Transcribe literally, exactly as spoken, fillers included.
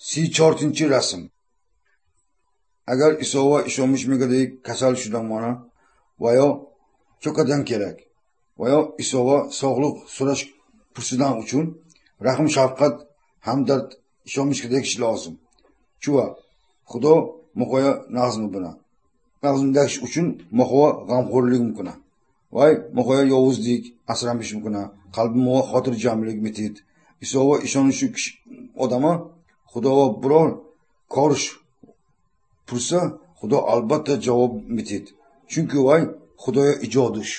Си чортинчи расм. Агар Исова ишонмиш мегадик касал шудан мана ва ё чокадан kerak va yo Isova sog'liq so'rash pursidan uchun rahm shafqat hamdard ishonmishga dekish lozim. Chuva Xudo muhoya nazmi bilan. Nazm dekish uchun muhoya g'amxo'rlik mumkin. Voy muhoya yovuzlik asramish mumkin. Qalbi muhoya xotirjamlik mitid. Isova ishonishi odama Xudo biror korish pursa Xudo albatta javob mitid. Chunki voy Xudoya ijodish.